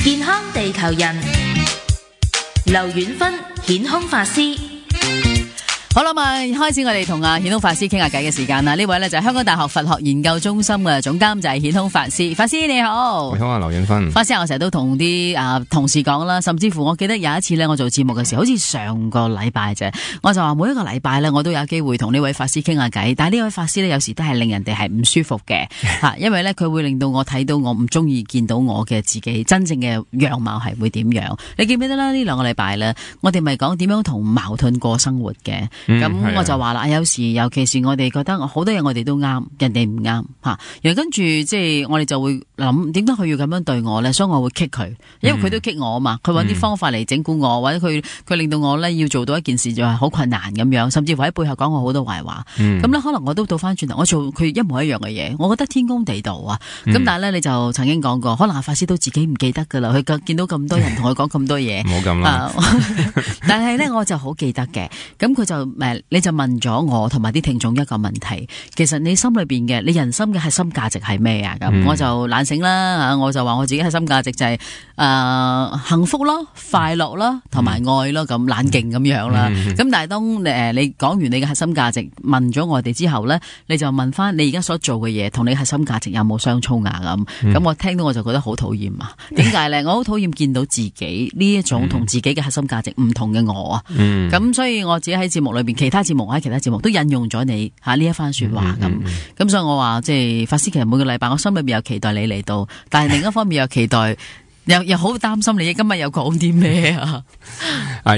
健康地球人，劉遠芬顯空法師。好啦，開始我哋同顯空法師傾下偈嘅時間啦。呢位呢就係香港大學佛學研究中心嘅總監，就係顯空法師。法師你好。你好啊，劉遠芬。法師，我成日都同啲同事講啦，甚至乎我記得有一次呢，我做節目嘅時候，好似上個禮拜啫，我就話每一個禮拜呢，我都有機會同呢位法師傾下偈。但係呢位法師呢，有時都係令人哋係唔舒服嘅吓，因為呢，佢會令到我睇到我唔中意見到我嘅自己真正嘅樣貌係會點樣。你記唔記得啦？呢兩個禮拜呢，我哋咪講點樣同矛盾過生活嘅。咁我就話啦，有時尤其是我哋覺得好多嘢我哋都啱，人哋唔啱吓，然後跟住即係我哋就會諗，點解佢要咁樣對我咧？所以我會激佢，因為佢都激我啊嘛。佢揾啲方法嚟整蠱我，或者佢令到我咧要做到一件事就係好困難咁樣，甚至乎喺背後講我好多壞話。咁咧可能我都倒翻轉頭，我做佢一模一樣嘅嘢，我覺得天公地道啊。咁但係咧你就曾經講過，可能阿法師都自己唔記得噶啦，佢見到咁多人同佢講咁多嘢，唔好咁啦。但係咧我就好記得嘅，咁佢就你就問咗我同埋啲聽眾一個問題，其實你心裏邊嘅你人生嘅核心價值係咩啊？咁我就懶醒啦，我就話我自己核心價值就係幸福咯、快樂咯同埋愛咯，咁冷靜咁樣啦。咁但係當你講完你嘅核心價值，問咗我哋之後咧，你就問翻你而家所做嘅嘢同你核心價值有冇相衝啊？咁我聽到我就覺得好討厭啊！點解咧？我好討厭見到自己呢一種同自己嘅核心價值唔同嘅我啊！咁所以我自己喺節目裏邊，其他節目都引用咗你呢一番說話咁，所以我話即係法師，其實每個禮拜我心裏邊有期待你嚟到，但係另一方面又期待又好擔心你今日又講啲咩啊？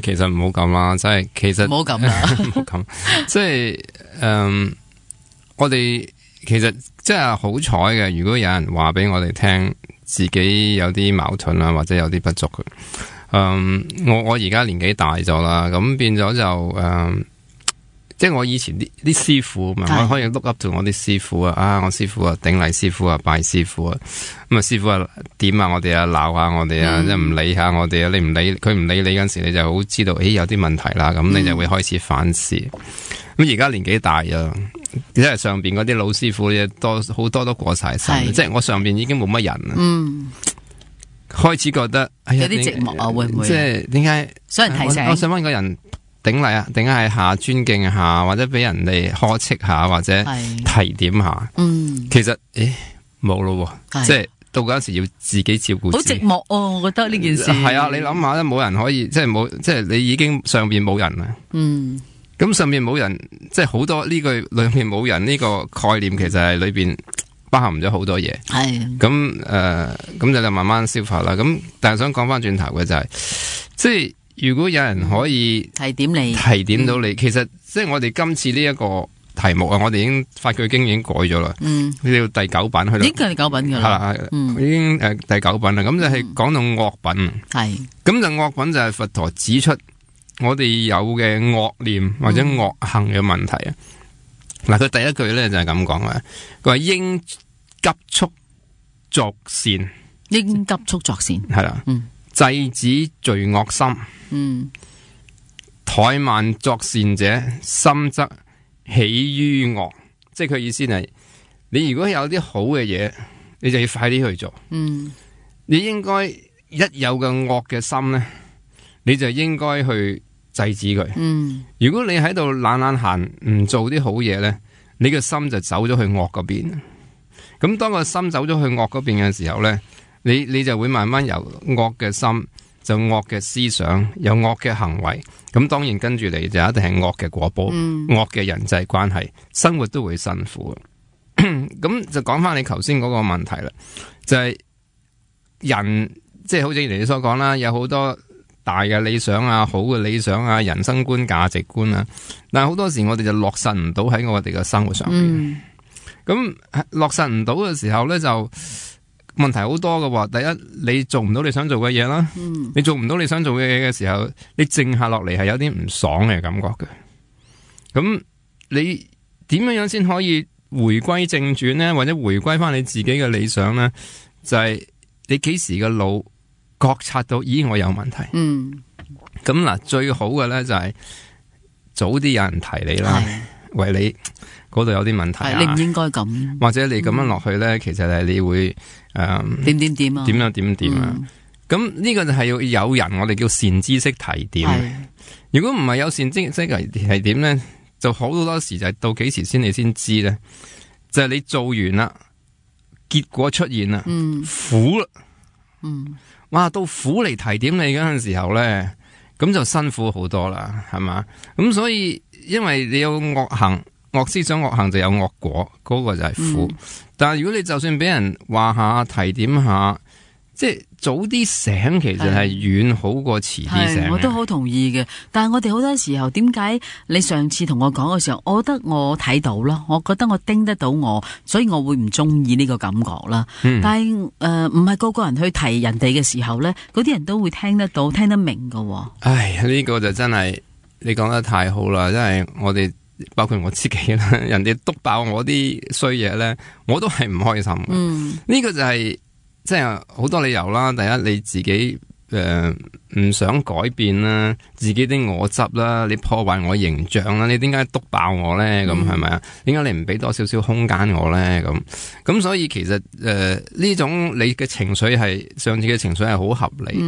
其實唔好咁啦，即係其實唔好咁啦，唔好咁，即係我哋其實即係好彩嘅，如果有人話俾我哋聽自己有啲矛盾啊，或者有啲不足嘅，我而家年紀大咗啦，咁變咗就即係我以前啲師傅嘛，我可以 look up 到我啲師傅啊，我師傅啊，頂禮師傅啊，拜師傅啊，咁啊師傅啊點下我哋啊，鬧下我哋啊，即係唔理下我哋啊，你唔理佢唔理你嗰陣時，你就好知道，有啲問題啦，咁你就會開始反思。咁而家年紀大啊，即係上邊嗰啲老師傅好多都過晒身，即係我上邊已經冇乜人啦。開始覺得有啲寂寞啊，會唔會？即係點解？所以提醒我想問個人。頂禮啊，定係下尊敬下，或者俾人哋呵斥下，或者提點下。其實冇咯，即係到嗰陣時要自己照顧自己。好寂寞哦，我覺得呢件事係啊，你諗下咧，冇人可以即係你已經上邊冇人啦。咁上邊冇人，即係好多呢句裏面冇人呢個概念，其實係裏邊包含咗好多嘢。係咁就慢慢消化啦。咁但係想講翻轉頭嘅就係，即係。如果有人可以提點到你，其實即係我哋今次呢一個題目啊，我哋已經法句經已經改咗啦，呢個第9版去到，已經係第9品噶啦，已經第9品啦。咁就係講到惡品，咁就惡品就係佛陀指出我哋有嘅惡念或者惡行嘅問題啊。嗱，佢第一句咧就係咁講啊，佢話應急速作善，應急速作善，係啦，制止罪惡心，怠慢作善者，心則起於惡。即係佢意思係，你如果有啲好嘅嘢，你就要快啲去做。你應該一有嘅惡嘅心咧，你就應該去制止佢。如果你喺度懶懶閒，唔做啲好嘢咧，你嘅心就走咗去惡嗰邊。咁當個心走咗去惡嗰邊嘅時候咧，你就會慢慢由惡嘅心，就惡嘅思想，有惡嘅行為，咁當然跟住嚟就一定係惡嘅果報，惡嘅人際關係，生活都會辛苦。咁就講翻你頭先嗰個問題啦，就係人，即係好似你所講啦，有好多大嘅理想啊，好嘅理想啊，人生觀、價值觀啊，但係好多時我哋就落實唔到喺我哋嘅生活上邊。咁落實唔到嘅時候咧，就問題好多嘅。第一，你做唔到你想做嘅嘢啦，你做唔到你想做嘅嘢嘅時候，你靜下落嚟係有啲唔爽嘅感覺嘅。咁你點樣先可以回歸正傳呢？或者回歸翻你自己嘅理想呢？就係你幾時嘅腦覺察到，咦，我有問題。咁嗱，最好嘅咧就係早啲有人提你啦，為你嗰度有啲問題啊，你唔應該咁，或者你咁樣落去咧，其實係你會點啊，點樣啊。咁呢個就係要有人，我哋叫善知識提點。如果唔係有善知識提點咧，就好多時就係到幾時先你先知咧，就係你做完啦，結果出現啦，苦啦，哇，到苦嚟提點你嗰陣時候咧，咁就辛苦好多啦，係嘛？咁所以因為你有惡行、惡思想、惡行就有惡果，嗰個就係苦。但係如果你就算俾人話下、提點下，即係早啲醒，其實係遠好過遲啲醒。我都好同意嘅。但係我哋好多時候，點解你上次同我講嘅時候，我覺得我睇到咯，我覺得我盯得到我，所以我會唔中意呢個感覺啦。但係唔係個個人去提人哋嘅時候咧，嗰啲人都會聽得到、聽得明㗎。唉，呢個就真係你講得太好啦！真係我哋包括我自己啦，人哋督爆我啲衰嘢咧，我都係唔開心嘅。呢個就係。即係好多理由啦，第一你自己唔想改變啦，自己啲我執啦，你破壞我形象啦，你點解督爆我咧？咁係咪啊？點解你唔俾多少少空間我咧？咁所以其實呢種你嘅情緒係上次嘅情緒係好合理，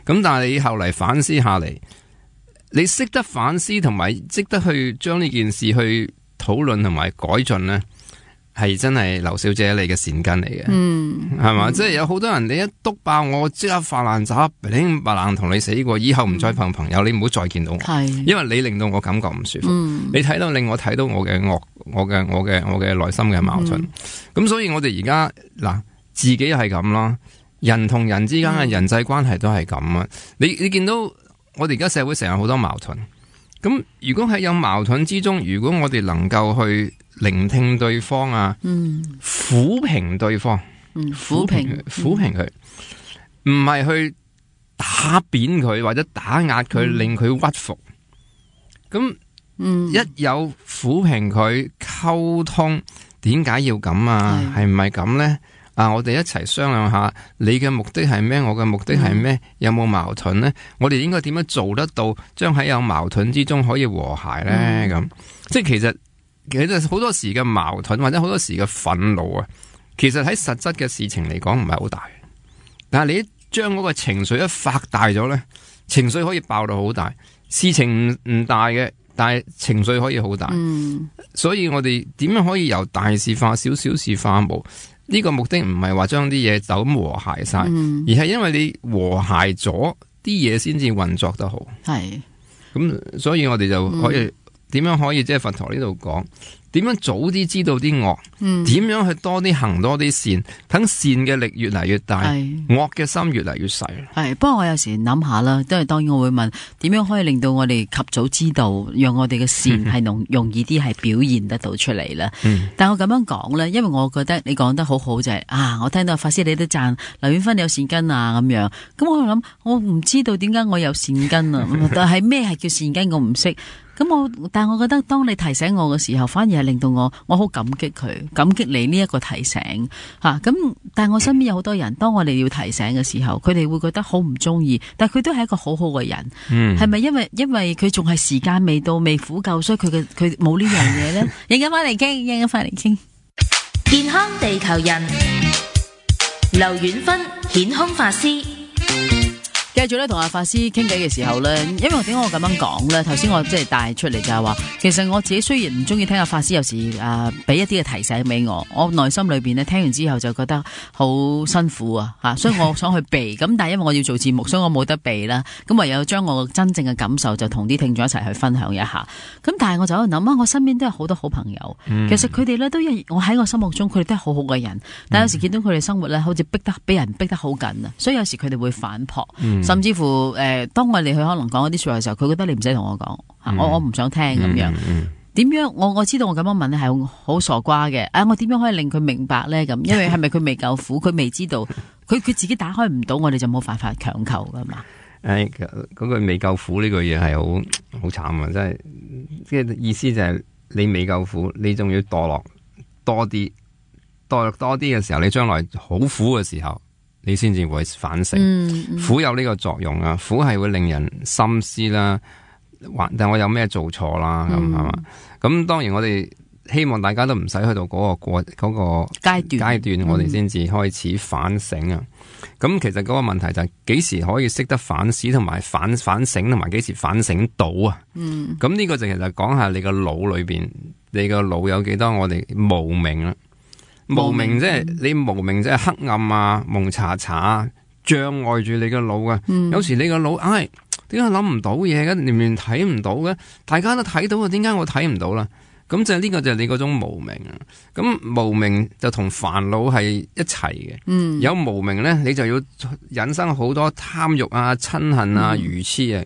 咁但係你後嚟反思下嚟，你識得反思同埋識得去將呢件事去討論同埋改進咧。係真係劉小姐你嘅善根嚟嘅，係嘛？即係有好多人你一督爆我，即刻發爛渣，明白冷同你死過，以後唔再憑朋友，你唔好再見到我，因為你令到我感覺唔舒服，你睇到令我睇到我嘅惡，我嘅內心嘅矛盾。咁所以我哋而家嗱，自己係咁啦，人同人之間嘅人際關係都係咁啊。你見到我哋而家社會成日好多矛盾，咁如果喺有矛盾之中，如果我哋能夠去聆聽對方啊，撫平對方，撫平佢，唔係去打扁佢或者打壓佢，令佢屈服。咁一有撫平佢，溝通，點解要咁啊？係唔係咁呢？我哋一齊商量下，你嘅目的係咩？我嘅目的係咩？有冇矛盾呢？我哋應該點樣做得到，將喺有矛盾之中可以和諧呢？咁即係其實好多時嘅矛盾或者好多時嘅憤怒啊，其實喺實質嘅事情嚟講唔係好大，但係你一將嗰個情緒一發大咗呢，情緒可以爆到好大。事情唔大嘅，但係情緒可以好大。所以我哋點樣可以由大事化小，小事化無？呢個目的唔係話將啲嘢就咁和諧晒，而係因為你和諧咗啲嘢先至運作得好。係咁，所以我哋就可以。點樣可以即係佛陀呢度講？點樣早啲知道啲惡？點樣去多啲行多啲善？等善嘅力越嚟越大，惡嘅心越嚟越細。係，不過我有時諗下啦，都係當然我會問，點樣可以令到我哋及早知道，讓我哋嘅善係容易啲係表現得到出嚟啦。但我咁樣講咧，因為我覺得你講得好好就係我聽到法師你都讚劉婉芬有善根啊咁樣。咁我諗我唔知道點解我有善根啊，但係咩係叫善根我唔識。但係我覺得當你提醒我嘅時候，反而係令到我好感激佢，感激你呢一個提醒吓。但係我身邊有好多人，當我哋要提醒嘅時候，佢哋會覺得好唔中意，但係佢都係一個好好嘅人。係咪因為佢仲係時間未到，未苦夠，所以佢冇呢樣嘢咧？一陣間翻嚟傾，健康地球人，劉婉芬顯空法師。繼續咧同阿法師傾偈嘅時候咧，因為點解我咁樣講咧？頭先我即係帶出嚟就係話，其實我自己雖然唔中意聽阿法師有時俾一啲嘅提醒俾我內心裏邊咧聽完之後就覺得好辛苦啊，所以我想去避。咁但係因為我要做節目，所以我冇得避啦。咁唯有將我真正嘅感受就同啲聽眾一齊去分享一下。咁但係我就喺度諗我身邊都有好多好朋友，其實佢哋咧都我喺我心目中佢哋都係好好嘅人，但係有時見到佢哋生活咧好似俾人逼得好緊啊，所以有時佢哋會反撲。甚至乎當我哋去可能講一啲說話嘅時候，佢覺得你唔使同我講，我唔想聽咁樣。點樣我知道我咁樣問咧係好傻瓜嘅。我點樣可以令佢明白咧？咁因為係咪佢未夠苦，佢未知道，佢自己打開唔到，我哋就冇辦法強求噶嘛。嗰句未夠苦呢句嘢係好慘啊！真係即係意思就係你未夠苦，你仲要墮落多啲嘅時候，你將來好苦嘅時候。你先至會反省，苦有呢個作用啊！苦係會令人深思啦，但我有咩做錯啦？咁係嘛？咁當然我哋希望大家都唔使去到嗰個階段，我哋先至開始反省啊。咁其實嗰個問題就係幾時可以識得反思同埋反省，同埋幾時反省到啊？咁呢個就其實講下你個腦裏邊，你個腦有幾多我哋無明啦。無明即係你無明即係黑暗啊、蒙查查啊，障礙住你個腦啊。有時你個腦點解諗唔到嘢嘅？連連睇唔到嘅，大家都睇到啊，點解我睇唔到啦？咁就呢個就係你嗰種無明啊。咁無明就同煩惱係一齊嘅。有無明咧，你就要引生好多貪欲啊、嗔恨啊、愚痴啊。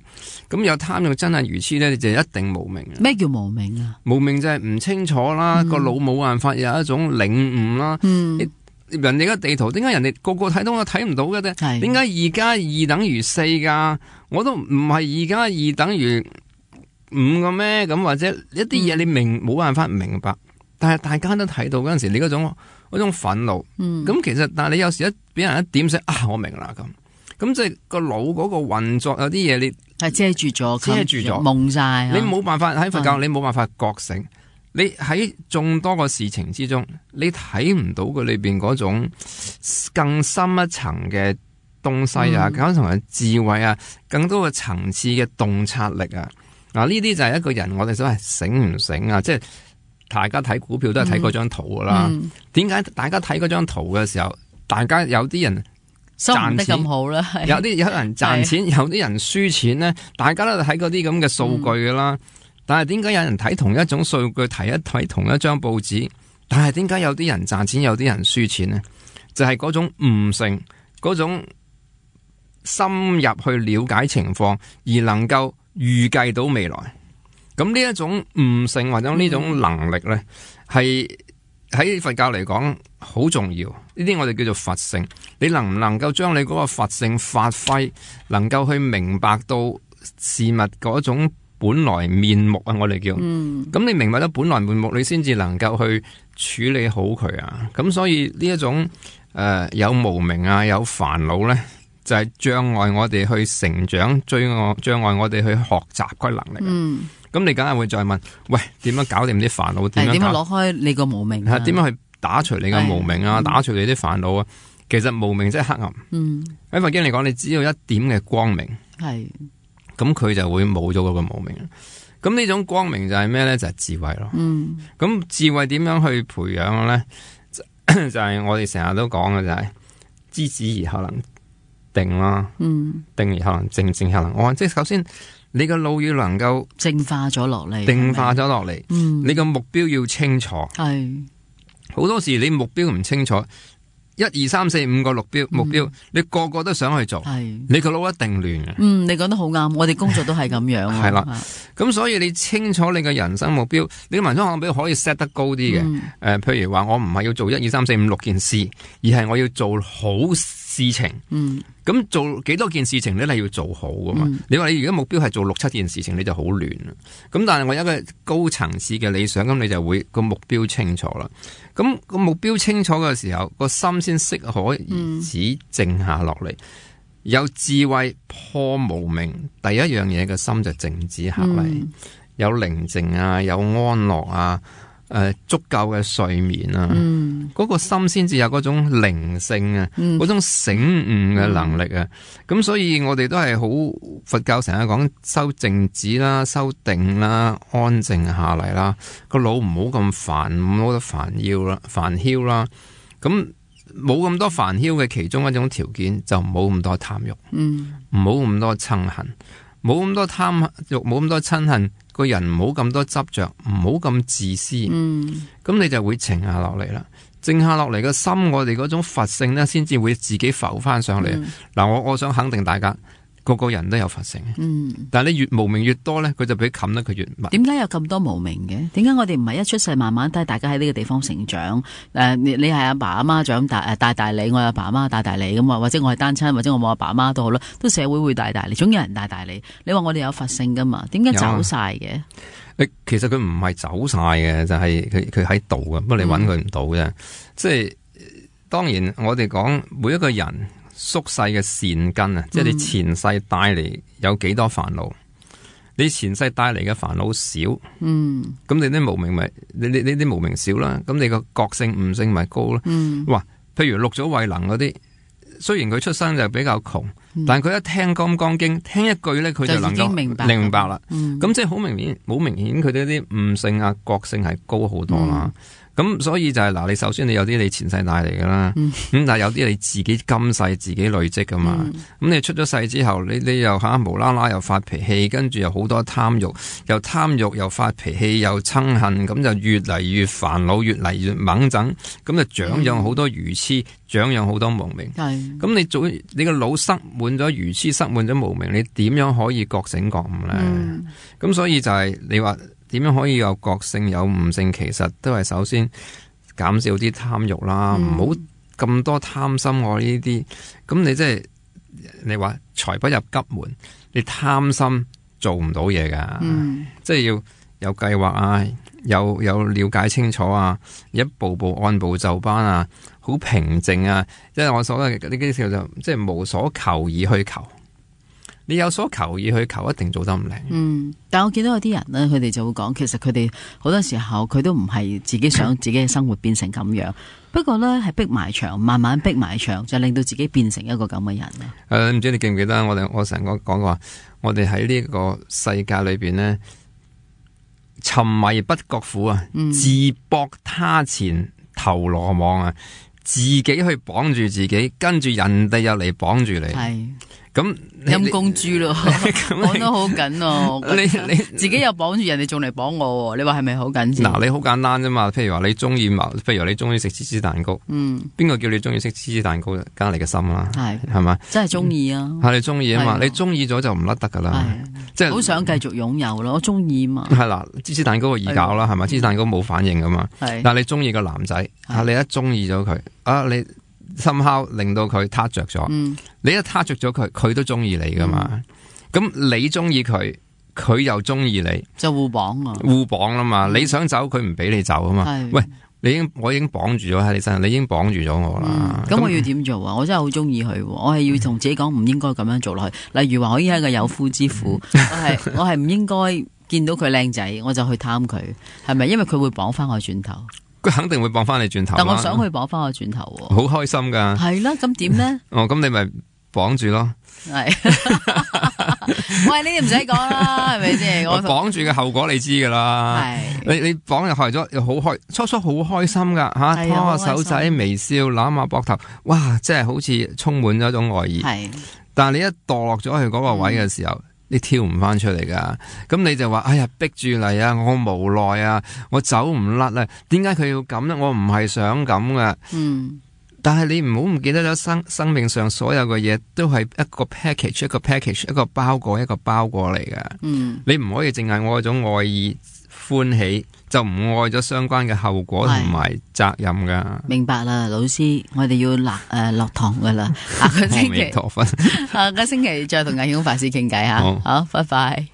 咁有貪欲、嗔恨、愚痴咧，你就一定無明啊。咩叫無明啊？無明就係唔清楚啦，個腦冇辦法有一種領悟啦。人哋嘅地圖，點解人哋個個睇到我睇唔到嘅啫？點解2+2等於4噶？我都唔係2+2等於5個咩？咁或者一啲嘢你冇辦法明白，但係大家都睇到嗰陣時，你嗰種憤怒，咁其實但係你有時俾人一點醒啊，我明啦咁即係個腦嗰個運作有啲嘢你係遮住咗，蒙晒，你冇辦法喺佛教，你冇辦法覺醒。你喺眾多個事情之中，你睇唔到佢裏邊嗰種更深一層嘅東西啊，更深層嘅智慧啊，更多嘅層次嘅洞察力啊。嗱，呢啲就係一個人我哋所謂醒唔醒啊？即係大家睇股票都係睇嗰張圖噶啦。點解大家睇嗰張圖嘅時候，大家有啲人賺得咁好啦，有人賺錢，有啲人輸錢咧，大家都睇嗰啲咁嘅數據噶啦。但係點解有人睇同一種數據，睇同一張報紙，但係點解有啲人賺錢，有啲人輸錢呢？就係嗰種悟性，嗰種深入去了解情況，而能夠預計到未來。咁呢一種悟性或者呢種能力呢，係喺佛教嚟講好重要。呢啲我哋叫做佛性。你能唔能夠將你嗰個佛性發揮，能夠去明白到事物嗰種本來面目啊，我哋叫，咁你明白咗本來面目，你先至能夠去處理好佢啊。咁所以呢一種有無明啊，有煩惱咧，就係障礙我哋去成長，障礙我哋去學習嗰能力。咁你梗係會再問，喂，點樣搞掂啲煩惱？點樣攞開你個無明？點樣去打除你個無明啊？打除你啲煩惱啊？其實無明即係黑暗。喺佛經嚟講，你只要一點嘅光明。咁佢就會冇咗嗰個無明。咁呢種光明就係咩咧？就係智慧咯。咁智慧點樣去培養咧？就係我哋成日都講嘅就係知止而後能定啦。定而後能靜，靜而後能安。即係首先你個腦要能夠淨化咗落嚟，定化咗落嚟。你個目標要清楚。好多時你目標唔清楚。1、2、3、4、5個目標，你個個都想去做，你個腦一定亂嘅。你講得好啱，我哋工作都係咁樣。係啦，咁所以你清楚你嘅人生目標，你嘅人生目標可以 set 得高啲嘅。譬如話我唔係要做1、2、3、4、5、6件事，而係我要做好事情。咁做幾多件事情你係要做好噶嘛？你話你如果目標係做6、7件事情，你就好亂啦。咁但係我有一個高層次嘅理想，咁你就會個目標清楚啦。咁個目標清楚嘅時候，個心先適可而止靜下落嚟。有智慧破無明，第一樣嘢嘅心就靜止下嚟，有寧靜啊，有安樂啊。足夠嘅睡眠啊，嗰個心先至有嗰種靈性啊，嗰種醒悟嘅能力啊。咁所以我哋都係好佛教成日講修靜止啦，修定啦，安靜下嚟啦，個腦唔好咁煩，唔好得煩囂啦。咁冇咁多煩囂嘅其中一種條件就冇咁多貪欲，唔好咁多嗔恨，冇咁多貪欲，冇咁多嗔恨。個人唔好咁多執着，唔好咁自私，咁你就會靜下落嚟啦。靜下落嚟個心，我哋嗰種佛性呢，先至會自己浮翻上嚟。嗱，我想肯定大家，個人都有佛性。但係你越無明越多呢，佢就俾冚得佢越密。點解有咁多無明嘅？點解我哋唔係一出世慢慢帶大家喺呢個地方成長？你係阿爸阿媽長大帶你，我係阿爸阿媽帶你咁啊，或者我係單親，或者我冇阿爸阿媽都好啦，都社會會帶你，總有人帶你。你話我哋有佛性噶嘛？點解走晒嘅？其實佢唔係走晒嘅，就係佢喺度嘅，不過你搵佢唔到啫。即係當然，我哋講每一個人宿世嘅善根啊，即係你前世帶嚟有幾多煩惱。你前世帶嚟嘅煩惱少，咁你啲無明咪你啲無明少啦，咁你個覺性悟性咪高咯。哇，譬如六祖慧能嗰啲，雖然佢出生就比較窮，但係佢一聽《金剛經》，聽一句咧，佢就能夠明白啦。咁即係好明顯，佢哋啲悟性啊、覺性係高好多啦。咁所以就係嗱，你首先你有啲你前世帶嚟噶啦，咁但係有啲你自己今世自己累積噶嘛。咁你出咗世之後，你又無啦啦又發脾氣，跟住又好多貪欲，又發脾氣，又憎恨，咁就越嚟越煩惱，越嚟越猛整，咁就長養好多愚痴，長養好多無明。咁你個腦塞滿咗愚痴，塞滿咗無明，你點樣可以覺醒覺悟咧？咁所以就係你話。點樣可以有覺性有悟性？其實都係首先減少啲貪欲啦，唔好咁多貪心我呢啲。咁你即係你話財不入急門，你貪心做唔到嘢噶。即係要有計劃啊，有了解清楚啊，一步步按部就班啊，好平靜啊。即係我所謂嘅呢啲叫做即係無所求而去求。你有所求而去求，一定做得唔靚。但我見到有啲人咧，佢哋就會講，其實佢哋好多時候佢都唔係自己想自己嘅生活變成咁樣，不過咧係逼埋牆，慢慢逼埋牆，就令到自己變成一個咁嘅人。唔知你記唔記得我成日講話，我哋喺呢個世界裏邊呢，沉迷不覺苦啊，自搏他前投羅網啊，自己去綁住自己，跟住人哋又嚟綁住你。咁陰公豬咯，綁得好緊哦！你自己又綁住人哋，仲嚟綁我，你話係咪好緊先？嗱，你好簡單啫嘛。譬如話你中意食芝士蛋糕，邊個叫你中意食芝士蛋糕？梗係你嘅心啦，係嘛？真係中意啊！係你中意啊嘛？你中意咗就唔甩得噶啦，即係好想繼續擁有咯。我中意嘛。係啦，芝士蛋糕易搞啦，係咪？芝士蛋糕冇反應噶嘛。但係你中意個男仔，你一中意咗佢，你。somehow令到佢撻着咗，你一撻着咗佢，佢都中意你噶嘛？咁你中意佢，佢又中意你，就互綁啊！互綁啦嘛！你想走，佢唔俾你走啊嘛！喂，我已經綁住咗喺你身上，你已經綁住咗我啦。咁我要點做啊？我真係好中意佢，我係要同自己講唔應該咁樣做落去。例如話，我已經係一個有夫之婦，我係唔應該見到佢靚仔，我就去貪佢，係咪？因為佢會綁翻我轉頭。佢肯定會綁翻你轉頭，但我想去綁翻我轉頭，好開心噶。係啦，咁點咧？咁你咪綁住咯。係，喂，呢啲唔使講啦，係咪先？我綁住嘅後果你知噶啦。係，你綁入去咗又好開，初初好開心噶吓，拖下手仔微笑，攬下膊頭，哇，真係好似充滿咗一種愛意。係，但係你一墮落咗去嗰個位嘅時候。你跳唔翻出嚟噶，咁你就話：哎呀，逼住嚟啊！我無奈啊，我走唔甩啊！點解佢要咁呢？我唔係想咁噶。但係你唔好唔記得咗生命上所有嘅嘢都係一個 package， 一個包裹嚟噶。你唔可以淨係愛嗰種愛意歡喜，就唔愛咗相關嘅後果同埋責任噶。明白啦，老師，我哋要落堂噶啦。下個星期再同魏曉法師傾偈吓。好，拜拜。